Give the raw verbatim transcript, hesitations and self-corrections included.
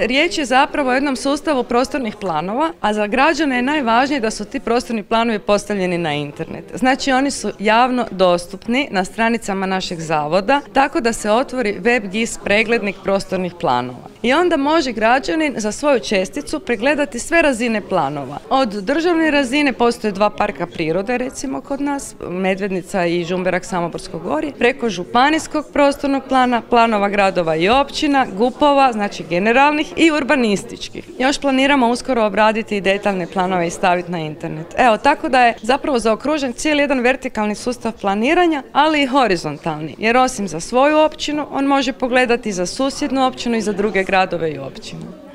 Riječ je zapravo o jednom sustavu prostornih planova, a za građane je najvažnije da su ti prostorni planovi postavljeni na internet. Znači oni su javno dostupni na stranicama našeg zavoda, tako da se otvori web G I S preglednik prostornih planova. I onda može građanin za svoju česticu pregledati sve razine planova. Od državne razine postoje dva parka prirode, recimo kod nas, Medvednica i Žumberak Samoborsko gorje, preko županijskog prostornog plana, planova gradova i općina, gupova, znači generalnih i urbanističkih. Još planiramo uskoro obraditi i detaljne planove i staviti na internet. Evo, tako da je zapravo zaokružen cijeli jedan vertikalni sustav planiranja, ali i horizontalni, jer osim za svoju općinu, on može pogledati za susjednu općinu i za druge gradove i općine.